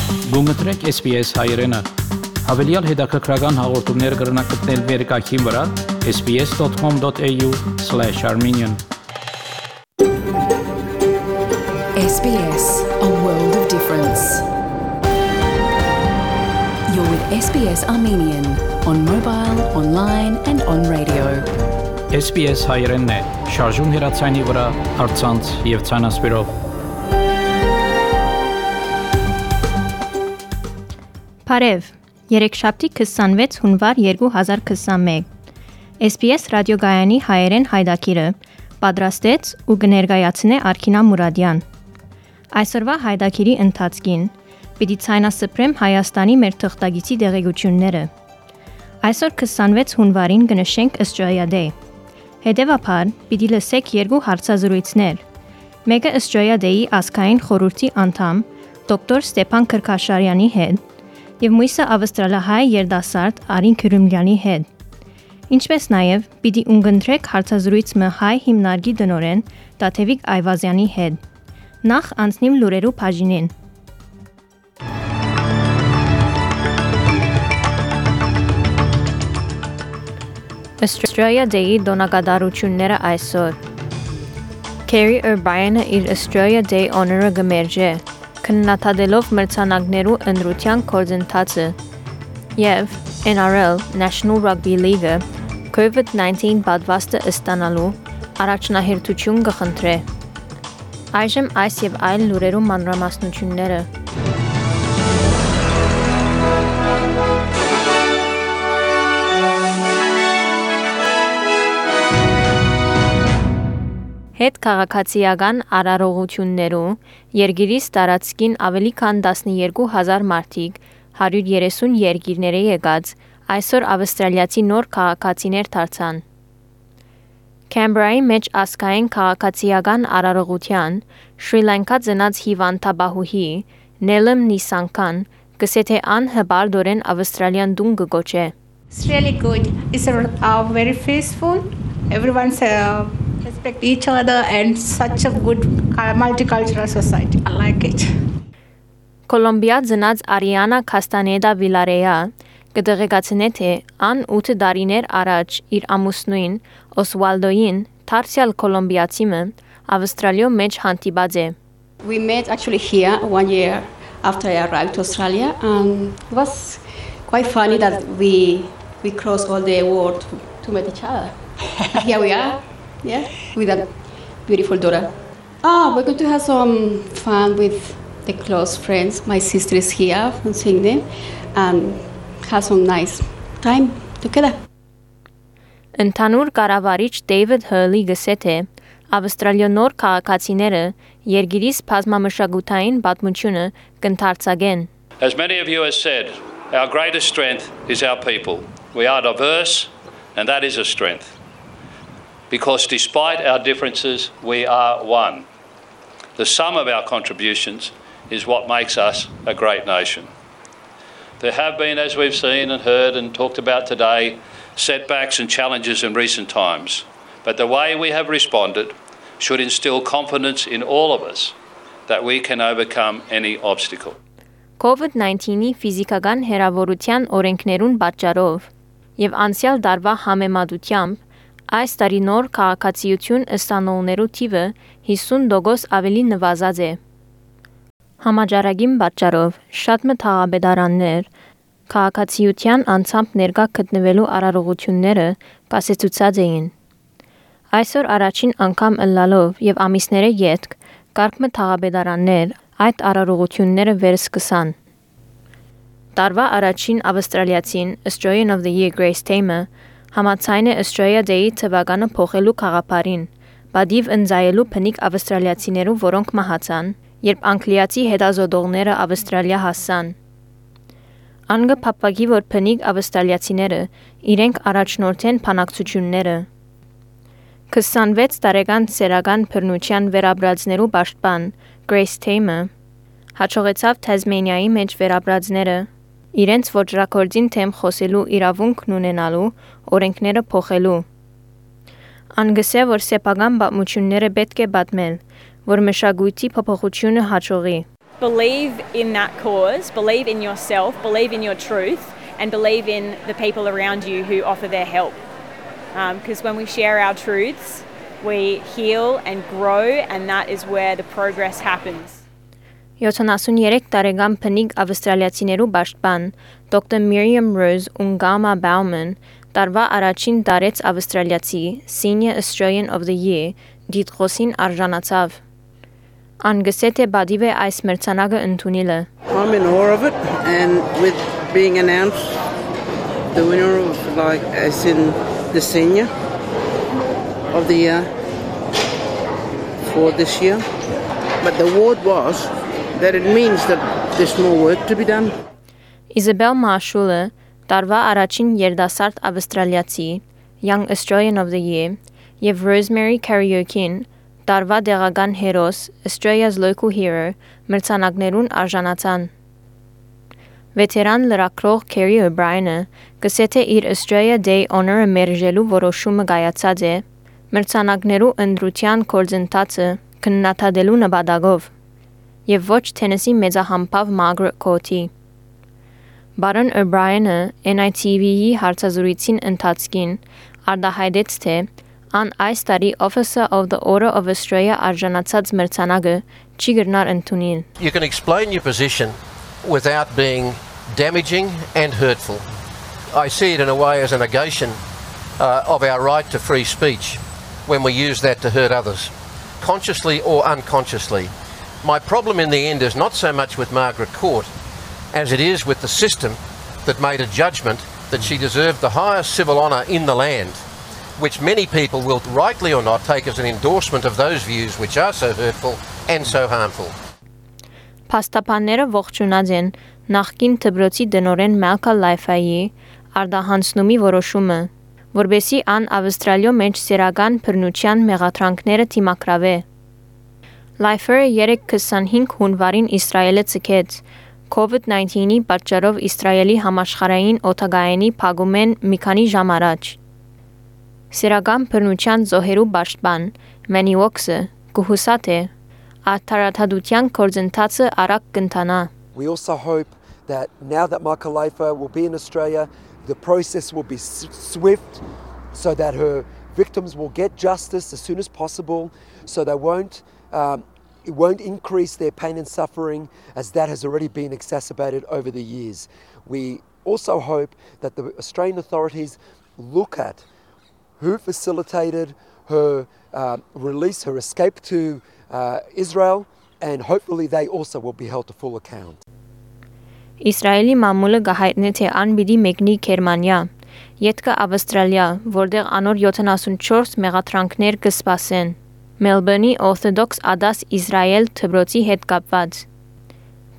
Գումտրեք SPS հայրենը, հավելյալ հետաքրքրական հաղորդումներ կգրնակցնել վերկայքին վրա sbs.com.au/armenian SBS, a world of difference. You're with SBS Armenian on mobile, online and on radio. SPS հայրենն է, շարժուն հեռացայինի վրա, առցանց եւ ցանասպիրով։ Բարև, երեքշաբթի 26 հունվար 2021, SBS ռադիոգայանի հայերեն հայդակիրը պատրաստեց ու կներկայացնե Արքինա Մուրադյան։ Այսօրվա հայդակիրի ընթացքին պիտի ցայնասպրեմ Հայաստանի մեր թղթագիտի աջակցությունները։ Այսօր 26 հունվարին կնշենք Australia-Day։ Հետևաբար պիտի լսեք երկու հարցազրույցներ։ Մեկը Australia-Day-ի ազգային խորհրդի անդամ դոկտոր Ստեփան Քրքաշարյանի հետ եւ մյուսը ավստրալիահայ երդասարդ Արին Քյուրումլյանի հետ։ Ինչպես նաև պիտի ունգընտրեք հարցազրույցը հայ հիմնարկի դնորեն Տաթևիկ Այվազյանի հետ։ Նախ անցնիմ լուրերու բաժինին։ Australia Day-ի դոնակատարությունները այսօր։ Kerry O'Brien-ը իր Australia Day Honour-ը գմերժե, քննադատելով մրցանակներու ընտրության գործընթացը, եւ NRL National Rugby League-ը COVID-19 պատվաստը ստանալու առաջնահերթություն կխնդրե։ Այժմ այս եւ այլ լուրերու մանրամասնությունները։ Հետ քաղաքացիական արարողություններու երկիրից տարածքին ավելի քան 12,000 մարդիկ 130 երկիրների եկած այսօր ավստրալիացի նոր քաղաքացիներ դարձան։ Կեմբրայի մեջ ազգային քաղաքացիական արարողության Շրի Լանկա ծնած հիվանդաբահուհի Նելեմ Նիսանքան գսե թե անհբարդորեն ավստրալիան դուն կգոչե։ It's really good. It's very peaceful. Everyone's respect each other and such a good multicultural society. I like it. Կոլոմբիա ծնած Արիանա Քաստանեդա Վիլարեա կդեղեկացնե թե ան 8 տարիներ առաջ իր ամուսնուին Օսվալդոին Թարսիալ Կոլոմբիացիմը Ավստրալիո մեջ հանդիպած է։ We met actually here 1 year after I arrived to Australia, and it was quite funny that we crossed all the world to meet each other. Here we are, yeah, with a beautiful daughter. We're going to have some fun with the close friends. My sister is here from Sydney, and have some nice time together. Ընդհանուր կառավարիչ Դեյվիդ Հըլի գսե թե Ավստրալիա նոր քաղաքացիները երկիրից բազմամշակութային պատմությունը կընդարձակեն։ As many of you have said, our greatest strength is our people. We are diverse, and that is a strength. Because despite our differences, we are one. The sum of our contributions is what makes us a great nation. There have been, as we've seen and heard and talked about today, setbacks and challenges in recent times. But the way we have responded should instill confidence in all of us that we can overcome any obstacle. COVID-19-ի ֆիզիկական հեռավորության օրենքներուն պատճառով եւ անցյալ դարվա համեմատությամբ այս տարի նոր քաղաքացիություն ստանողներու թիվը 50% ավելի նվազած է։ Համաճարակին պատճառով շատ մտահաբեդարաններ քաղաքացիության անցամբ ներկա գտնվելու արարողությունները կասեցուցած էին։ Այսօր առաջին անգամ ըլլալով եւ ամիսները յետք կարգ մտահաբեդարաններ այդ արարողությունները վերսկսան։ Տարվա առաջին ավստրալիացին Australian of the Year Grace Tamer համաձայն է Australia Day-ի թվականը փոխելու խաղապարին, բադիվ ընձայելու փնիկ ավստրալիացիներու, որոնք մահացան, երբ անգլիացի հետազոտողները Ավստրալիա հասան։ Անգը փապակի որ փնիկ ավստրալիացիները իրենք առաջնորդեն բանակցությունները։ 26 տարեկան սերական բռնության վերաբրածներու պաշտպան Grace Tamer հաջողեցավ Թազմանիայի մեջ վերաբրածները իրենց ոչրակորձին թեմ խոսելու իրավունքն ունենալու օրենքները փոխելու։ Անգսե որ սեփական պատմությունները պետք է պատմել, որ մշակույթի փոփոխությունը հաջողի։ believe in that cause, believe in yourself, believe in your truth, and believe in the people around you who offer their help. Because when we share our truths, we heal and grow, and that is where the progress happens. 73 տարեկան փնիկ ավստրալիացիներու պաշտպան Dr. Miriam Rose Ungama Bauman տարվա առաջին տարեց ավստրալիացի Senior Australian of the Year դիտխոսին արժանացավ. Ան գսե թե բադիվ է այս մրցանակը ընդունիլը. I'm in awe of it, and with being announced the winner of as in the Senior of the Year for this year. But the award was that it means that there's more work to be done. Isabel Marshall, տարվա առաջին երդասարդ ավստրալիացի, Young Australian of the Year, եւ Rosemary Karaoke-ին, տարվա դեղական հերոս, Australia's Local Hero, մրցանակներուն արժանացան. Վետերան լրագրող Kerry O'Brien-ը գսե թե իր Australia Day Honor-ը մերժելու որոշումը կայացած է, մրցանակներու ընտրության կորձընթացը քննադատելու նպատակով. եւ ոչ Թենեսի մեծահամբավ Margaret Courtի. Baron O'Brien-ը NITV-ի հարցազրույցին ընթացքին արտահայտեց թե ան այս տարի Officer of the Order of Australia արժանացած մրցանակը չի գրնար ընդունին. You can explain your position without being damaging and hurtful. I see it in a way as a negation of our right to free speech when we use that to hurt others, consciously or unconsciously. My problem in the end is not so much with Margaret Court as it is with the system that made a judgment that she deserved the highest civil honour in the land, which many people will, rightly or not, take as an endorsement of those views which are so hurtful and so harmful. Փաստաբանները ողջունած են նախկին դպրոցի դնորեն Malcolm Lifey-ի արդահանցնումի որոշումը, որբեսի ան Ավստրալիո մեջ սերական բռնության մեղադրանքները թիմակրավե. Լայֆերը 3-25 հունվարին Իսրայելը ցկեց COVID-19-ի պատճառով Իսրայելի համաշխարհային օդագայանի փակումեն մի քանի ժամ առաջ. Սերական բռնության զոհերու պաշտպան Manny Woxe կհուսա թե արդարադատության կորձընթացը արագ կընթանա. We also hope that now that Michael Leifer will be in Australia, the process will be swift so that her victims will get justice as soon as possible, so they it won't increase their pain and suffering as that has already been exacerbated over the years. We also hope that the Australian authorities look at who facilitated her release, her escape to Israel, and hopefully they also will be held to full account. Իսրայելի մամուլը գահայտնե թե ան պիտի մեկնի Գերմանիա, ետքը Ավստրալիա, որտեղ անոր 74 մեղադրանքներ կսպասեն. Մելբուրնի Orthodox Adas Իսրայել դպրոցի հետ կապված.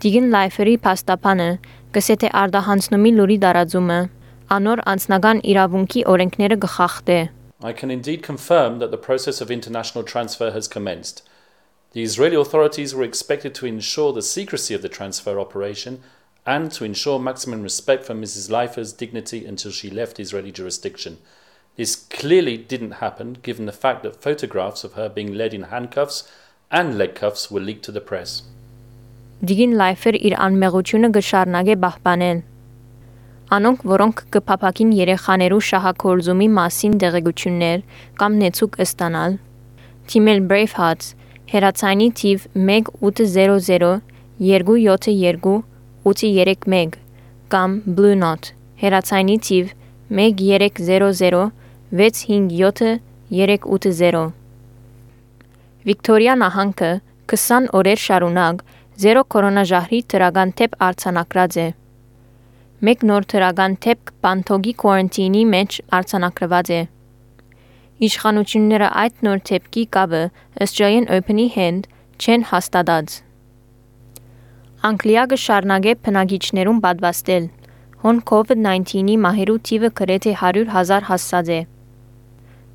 Դիգին Լայֆերի փաստաբանը գսե թե արդահանցնումի լուրի դարաձումը անոր անձնական իրավունքի օրենքները գխախտե. I can indeed confirm that the process of international transfer has commenced. The Israeli authorities were expected to ensure the secrecy of the transfer operation and to ensure maximum respect for Mrs. Leifer's dignity until she left Israeli jurisdiction. This clearly didn't happen given the fact that photographs of her being led in handcuffs and leg cuffs were leaked to the press. Դիգին Լայֆեր իր անմեղությունը գշարնագե պահպանել. Անոնք, որոնք կփափակին երեխաներու շահագործումի մասին դեղեցություններ կամ նեցուկ ստանալ, թիմել Brave Hearts, հերացանի թիվ 1800 272 831 կամ Blue Knot, հերացանի թիվ 1300 657 380. Վիկտորիա նահանգը 20 օրեր շարունակ զերո կորոնաժահրի թրական թեփ արձանագրած է. Մեկ նոր թրական թեփ Բանթոգի quarantine-ի մեջ արձանագրված է. Իշխանությունները այդ նոր թեփքի կապը Australian Open-ի հետ չեն հաստատած. Անգլիա կշարունակե բնակիչներուն պատվաստել. Հոն COVID-19-ի մահերու թիվը գրեթե 100,000 հասած է.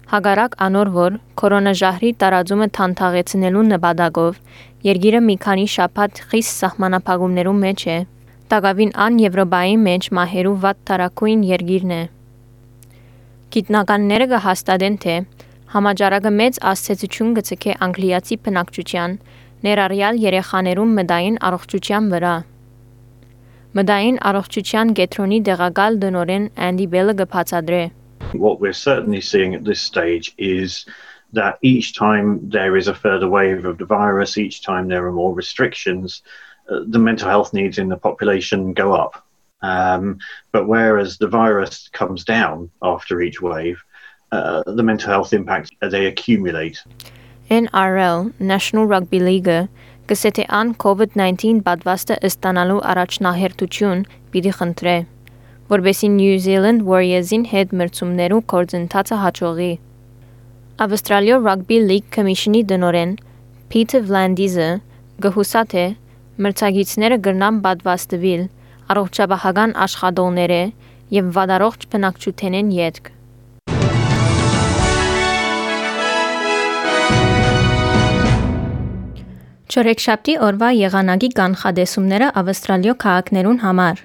Հագարակ անոր որ կորոնաժահրի տարածումը թանթաղեցնելու նպատակով երկիրը մի քանի շաբաթ խիստ սահմանափակումներու մեջ է. Տագավին ան Եվրոպայի մեջ մահերու վատ տարակույն երկիրն է. Գիտնականները կհաստատեն թե համաճարակը մեծ աստեցություն գցկե անգլիացի բնակչության, ներառյալ երեխաներում մտային առողջության վրա։ Մտային առողջության կենտրոնի դեղակալ տնօրեն Andy Bell-ը կբացատրի։ What we're certainly seeing at this stage is that each time there is a further wave of the virus, each time there are more restrictions, the mental health needs in the population go up. But whereas the virus comes down after each wave, the mental health impacts, they accumulate. NRL, National Rugby League, կսեթե ան COVID-19 պատվաստը ստանալու առաջնահերթություն պիտի խնդրե, որբեսի New Zealand Warriors-ին հետ մրցումներու կորձընթացը հաջողի։ Ավստրալիա Rugby League Commission-ի տնօրեն Peter Vlandis-ը գհուսաթե մրցակիցները կրնան պատվաստվել առողջապահական աշխատողները եւ վադարողջ բնակչութենեն յետք։ Չորեքշաբթի օրվա եղանակի կանխադեսումները Ավստրալիա քաղաքներուն համար։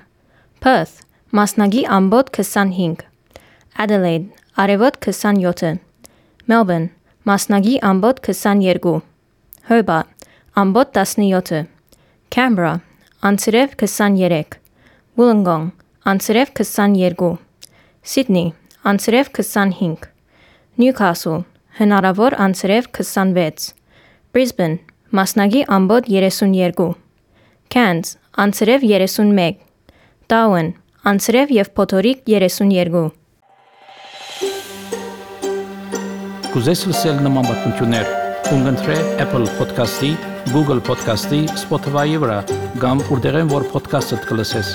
Perth մասնագի ամբոտ 25, Adelaide արևոտ 27, Melbourne մասնագի ամբոտ 22, Hobart ամբոտ 17, Canberra անցրև 23, Wollongong անցրև 22, Sydney անցրև 25, Newcastle հնարավոր անցրև 26, Brisbane մասնագի ամբոտ 32, Cairns անցրև 31, Darwin անցրև եւ փոթորիկ 32։ Կուզես լսել նման բանություններ, կընտրե Apple Podcast-ի, Google Podcast-ի, Spotify-ի վրա, կամ որտեղեն որ podcast-ը կլսես։